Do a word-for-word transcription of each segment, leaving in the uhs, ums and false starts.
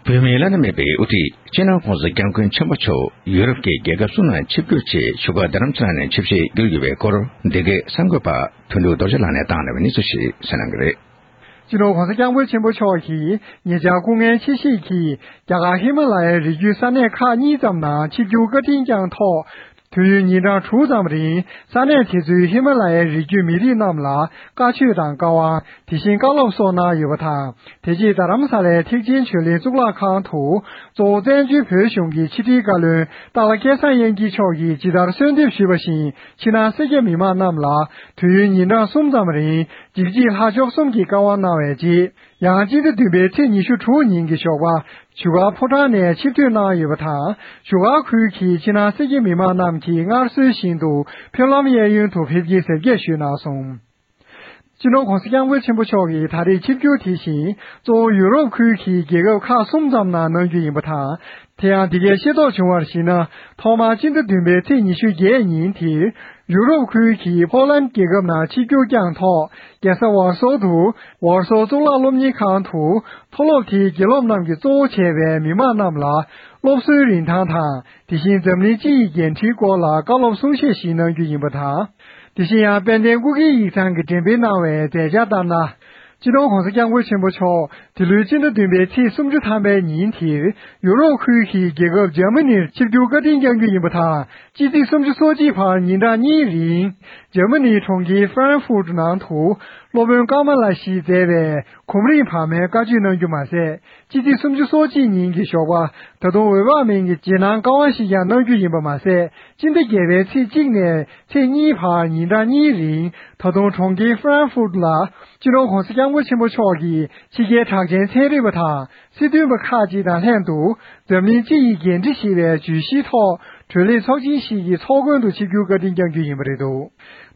བོད་མིའི་བླ་ན་མེད་པའི་དབུ་ཁྲིད་སྤྱི་ནོར་༸གོང་ས་༸སྐྱབས་མགོན་ཆེན་པོ་མཆོག་ཡུ་རོབ་ཀྱི་རྒྱལ་ཁབ་གསུམ་ནང་ཆིབས་བསྒྱུར་ཆེད་བཞུགས་སྒར་རྡ་རམ་ས་ལ་ནས་ཆིབས་ཞལ་བསྒྱུར་ཡོད་པའི་སྐོར། འདི་གའི་གསར་འགོད་པ་དོན་གྲུབ་རྡོ་རྗེ་ལགས་ནས་བཏང་གནང་བའི་གནས་ཚུལ་ཞིག་གསན་གནང་གི་རེད། སྤྱི་ནོར་༸གོང་ས་༸སྐྱབས་མགོན་ཆེན་པོ་མཆོག་གིས་ཉེ་ཆར་སྐུ་ངལ་ཆེ་བཞེས་ཀྱིས་རྒྱ་གར་ཧི་མ་ལ་ཡའི་རི་རྒྱུད་ས་གནས་ཁག་གཉིས་ཙམ་ནང་ཆིབས་བསྒྱུར་བཀའ་དྲིན་བསྐྱངས་ཐོག་དུས་ཡུན་ཉིན་གྲངས་དྲུག་ཙམ་རིང་ས་གནས་དེ་ཚོའི་ཧི་མ་ལ་ཡའི་རི་རྒྱུད་མི་རིགས་རྣམས་ལ་བཀའ་ཆོས་དང་བཀའ་དབང་། དེ་བཞིན་བཀའ་སློབ་སོགས་གནང་ཡོད་པ་དང་། དེ་རྗེས་རྡ་རམ་ས་ལའི་ཐེག་ཆེན་ཆོས་གླིང་གཙུག་ལག་ཁང་དུ་གཙོ་བོ་བཙན་བྱོལ་བོད་གཞུང་གི་ཕྱི་དྲིལ་བཀའ་བློན་སྟག་ལྷ་སྐལ་བཟང་དབྱངས་སྐྱིད་མཆོག་གིས་ཇི་ལྟར་གསོལ་འདེབས་ཞུས་པ་བཞིན། ཕྱི་ནང་སེར་སྐྱ་མི་མང་རྣམས་ལ་དུས་ཡུན་ཉིན་གྲངས་གསུམ་ཙམ་རིང་འཇིགས་བྱེད་ལྷ་མཆོག་གསུམ་གྱི་བཀའ་དབང་གནང་བའི་རྗེས། ཡང་སྤྱི་ཟླ་བདུན་པའི་ཚེས་ཉི་ཤུ་དྲུག་ཉིན་གྱི་ཞོགས་པ་བཞུགས་སྒར་ཕོ་བྲང་ནས་ཆིབས་བསྒྱུར་གནང་ཡོད་པ་དང་། བཞུགས་སྒར་ཁུལ་གྱི་ཕྱི་ནང་སེར་སྐྱ་མི་མང་རྣམས་ཀྱིས་སྔར་སྲོལ་བཞིན་དུ་ཕེབས་ལམ་གཡས་གཡོན་དུ་ཕེབས་སྐྱེལ་གཟབ་རྒྱས་ཞུས་གནང་སོང་། སྤྱི་ནོར་༸གོང་ས་༸སྐྱབས་མགོན་ཆེན་པོ་མཆོག་གིས་ད་རེས་ཆིབས་བསྒྱུར་དེ་བཞིན་གཙོ་བོ་ཡུ་རོབ་ཁུལ་གྱི་རྒྱལ་ཁབ་ཁག་གསུམ་ཙམ་ནང་གནང་རྒྱུ་ཡིན་པ་དང་། དེ་ཡང་འདི་གའི་ཤེས་རྟོགས་བྱུང་བར་གཞིགས་ན། ཐོག་མར་སྤྱི་ཟླ་བདུན་པའི་ཚེས་ཉི་ཤུ་བརྒྱད་ཉིན་དེར་ཡུ་རོབ་ཁུལ་གྱི་ཕོ་ལན་རྒྱལ་ཁབ་ནང་ཆིབས་བསྒྱུར་བསྐྱངས་ཐོག་རྒྱལ་ས་ཝར་སོ་དུ་ཝར་སོ་གཙུག་ལག་སློབ་གཉེར་ཁང་དུ་མཐོ་སློབ་དེའི་དགེ་སློབ་རྣམས་ཀྱིས་གཙོ་བོ་བྱས་པའི་མི་མང་རྣམས་ལ་སློབ་གསོའི་རིན་ཐང་དང་། དེ་བཞིན་འཛམ་གླིང་སྤྱི་ཡི་འགན་འཁྲིའི་སྐོར་ལ་བཀའ་སློབ་གསུང་བཤད་ཞིག་གནང་རྒྱུ་ཡིན་པ་དང་། དེ་བཞིན་ཡང་དཔལ་ལྡན་སྐུ་སྒེར་ཡིག་ཚང་གིས་འགྲེམས་སྤེལ་གནང་བའི་མཛད་འཆར་ལྟར་ན། སྤྱི་ནོར་༸གོང་ས་༸སྐྱབས་མགོན་ཆེན་པོ་མཆོག་འདི་ལོའི་སྤྱི་ཟླ་བདུན་པའི་ཚེས་སུམ་ཅུ་ཐམ་པའི་ཉིན་དེར་ཡུ་རོབ་ཁུལ་གྱི་རྒྱལ་ཁབ་འཇར་མ་ནིར་ཆིབས་བསྒྱུར་བཀའ་དྲིན་བསྐྱང་རྒྱུ་ཡིན་པ་དང་། སྤྱི་ཚེས་སུམ་ཅུ་སོ་གཅིག་བར་ཉིན་གྲངས་གཉིས་རིང་འཇར་མ་ནིའི་གྲོང་ཁྱེར་ཧྥ་རན་ཧྥུར་ནང་དུ་སློབ་དཔོན་ཀ་མ་ལ་ཞིག་མཛད་པའི་གོམ་རིམ་བར་མའི་བཀའ་ཆོས་གནང་རྒྱུ་མ་ཟད། སྤྱི་ཚེས་སུམ་ཅུ་སོ་གཅིག་ཉིན་གྱི་ཞོགས་པ་ད་དུང་འོད་དཔག་མེད་ཀྱི་རྗེས་གནང་བཀའ་དབང་ཞིག་ཀྱང་གནང་རྒྱུ་ཡིན་པ་མ་ཟད། སྤྱི་ཟླ་བརྒྱད་པའི་ཚེས་གཅིག་ནས་ཚེས་གཉིས་བར་ཉིན་གྲངས་གཉིས་རིང་ད་དུང་གྲོང་ཁྱེར་ཧྥ་རན་ཧྥུར་ལ་སྤྱི་ནོར་༸གོང་ས་༸སྐྱབས་མགོན་ཆེན་པོ་མཆོག་གིས་ཕྱི་རྒྱལ་གྲགས་ཅན་ཚན་རིག་པ་དང་སྲིད་དོན་པ་ཁག་ཅིག་དང་ལྷན་དུ་འཛམ་གླིང་སྤྱི་ཡི་འགན་འཁྲི་ཞེས་པའི་བརྗོད་གཞིའི་ཐོག་གྲོས་ལས་ཚོགས་ཆེན་ཞིག་གི་ཚོགས་མགོན་དུ་ཆིབས་བསྒྱུར་བཀའ་དྲིན་བསྐྱང་རྒྱུ་ཡིན་པ་རེད་འདུག་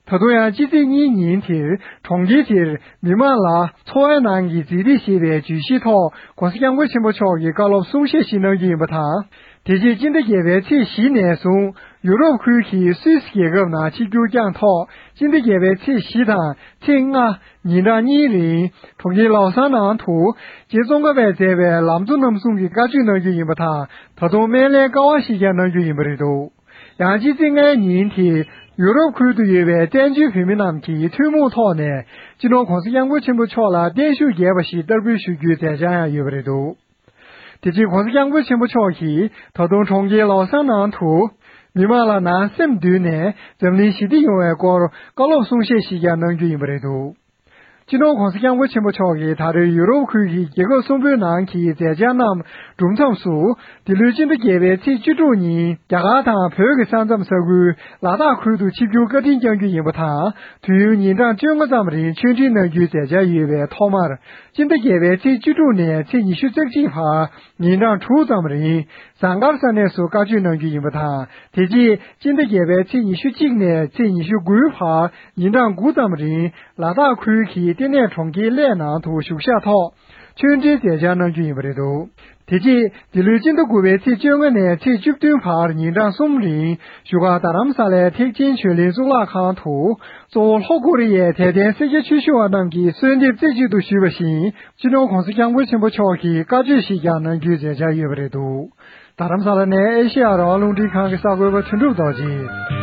ད་དུང་ཡང་སྤྱི་ཚེས་གཉིས་ཉིན་དེར་གྲོང་ཁྱེར་དེར་མི་མང་ལ་འཚོ་བའི་ནང་གི་མཛེས་སྡུག་ཞེས་པའི་བརྗོད་གཞིའི་ཐོག་༸གོང་ས་༸སྐྱབས་མགོན་ཆེན་པོ་མཆོག་གིས་བཀའ་སློབ་གསུང་བཤད་ཞིག་གནང་རྒྱུ་ཡིན་པ་དང་། དེ་རྗེས་སྤྱི་ཟླ་བརྒྱད་པའི་ཚེས་བཞི་ནས་བཟུང་ཡུ་རོབ་ཁུལ་གྱི་སུད་སི་རྒྱལ་ཁབ་ནང་ཆིབས་བསྒྱུར་བསྐྱངས་ཐོག་སྤྱི་ཟླ་བརྒྱད་པའི་ཚེས་བཞི་དང་ཚེས་ལྔ་ཉིན་གྲངས་གཉིས་རིང་གྲོང་ཁྱེར་ལའོ་སན་ནང་དུ་རྗེ་ཙོང་ཁ་པས་མཛད་པའི་ལམ་གཙོ་རྣམ་གསུམ་གྱི་བཀའ་ཆོས་གནང་རྒྱུ་ཡིན་པ་དང་། ད་དུང་སྨན་བླའི་བཀའ་དབང་ཞིག་ཀྱང་གནང་རྒྱུ་ཡིན་པ་རེད་འདུག་ཡང་སྤྱི་ཚེས་ལྔའི་ཉིན་དེ་ཡུ་རོབ་ཁུལ་དུ་ཡོད་པའི་བཙན་བྱོལ་བོད་མི་རྣམས་ཀྱིས་ཐུན་མོང་ཐོག་ནས་སྤྱི་ནོར་༸གོང་ས་༸སྐྱབས་མགོན་ཆེན་པོ་མཆོག་ལ་བརྟན་བཞུགས་རྒྱས་པ་ཞིག་བསྟར་འབུལ་ཞུ་རྒྱུའི་མཛད་འཆར་ཡང་ཡོད་པ་རེད་འདུག་དེ་རྗེས་༸གོང་ས་༸སྐྱབས་མགོན་ཆེན་པོ་མཆོག་གིས་ད་དུང་གྲོང་ཁྱེར་ལའོ་སན་ནང་དུ་མི་མང་ལ་ནང་སེམས་བསྡུས་ནས་འཛམ་གླིང་ཞི་བདེ་ཡོང་བའི་སྐོར་བཀའ་སློབ་གསུང་བཤད་ཞིག་ཀྱང་གནང་རྒྱུ་ཡིན་པ་རེད་འདུག་སྤྱི་ནོར་༸གོང་ས་༸སྐྱབས་མགོན་ཆེན་པོ་མཆོག་གིས་ད་རེས་ཡུ་རོབ་ཁུལ་གྱི་རྒྱལ་ཁབ་གསུམ་པོའི་ནང་གི་མཛད་འཆར་རྣམས་གྲུབ་མཚམས་སུ། འདི་ལོའི་སྤྱི་ཟླ་བརྒྱད་པའི་ཚེས་བཅུ་དྲུག་ཉིན་རྒྱ་གར་དང་བོད་ཀྱི་ས་མཚམས་ས་ཁུལ་ལ་དྭགས་ཁུལ་དུ་ཆིབས་བསྒྱུར་བཀའ་དྲིན་བསྐྱང་རྒྱུ་ཡིན་པ་དང་། དུས་ཡུན་ཉིན་གྲངས་བཅོ་ལྔ་ཙམ་རིང་ཆོས་འབྲེལ་གནང་རྒྱུའི་མཛད་འཆར་ཡོད་པའི་ཐོག་མར། སྤྱི་ཟླ་བརྒྱད་པའི་ཚེས་བཅུ་དྲུག་ནས་ཚེས་ཉི་ཤུ་རྩ་གཅིག་བར་ཉིན་གྲངས་དྲུག་ཙམ་རིང་ཟངས་དཀར་ས་གནས་སུ་བཀའ་ཆོས་གནང་རྒྱུ་ཡིན་པ་དང་། དེ་རྗེས་སྤྱི་ཟླ་བརྒྱད་པའི་ཚེས་ཉི་ཤུ་གཅིག་ནས་ཚེས་ཉི་ཤུ་དགུའི་བར་ཉིན་གྲངས་དགུ་ཙམ་རིང་ལ་དྭགས་ཁུལ་གྱི་ལྟེ་གནས་གྲོང་ཁྱེར་གླེ་ནང་དུ་བཞུགས་ཞག་ཐོག་ཆོས་འབྲེལ་མཛད་འཆར་གནང་རྒྱུ་ཡིན་པ་རེད་འདུག་དེ་རྗེས་འདི་ལོའི་སྤྱི་ཟླ་དགུ་པའི་ཚེས་བཅོ་ལྔ་ནས་ཚེས་བཅུ་བདུན་བར་ཉིན་གྲངས་གསུམ་རིང་བཞུགས་སྒར་རྡ་རམ་ས་ལའི་ཐེག་ཆེན་ཆོས་གླིང་གཙུག་ལག་ཁང་དུ་གཙོ་བོ་ལྷོ་ཀོ་རི་ཡའི་དད་ལྡན་སེར་སྐྱ་ཆོས་ཞུ་བ་རྣམས་ཀྱིས་གསོལ་འདེབས་རྩེ་གཅིག་ཏུ་ཞུས་པ་བཞིན། སྤྱི་ནོར་༸གོང་ས་༸སྐྱབས་མགོན་ཆེན་པོ་མཆོག་གིས་བཀའ་ཆོས་ཤིག་ཀྱང་གནང་རྒྱུའི་མཛད་འཆར་ཡོད་པ་རེད་འདུག་རྡ་རམ་ས་ལ་ནས་ཨེ་ཤེ་ཡ་རང་དབང་རླུང་འཕྲིན་ཁང་གི་གསར་འགོད་པ་དོན་གྲུབ་རྡོ་རྗེ།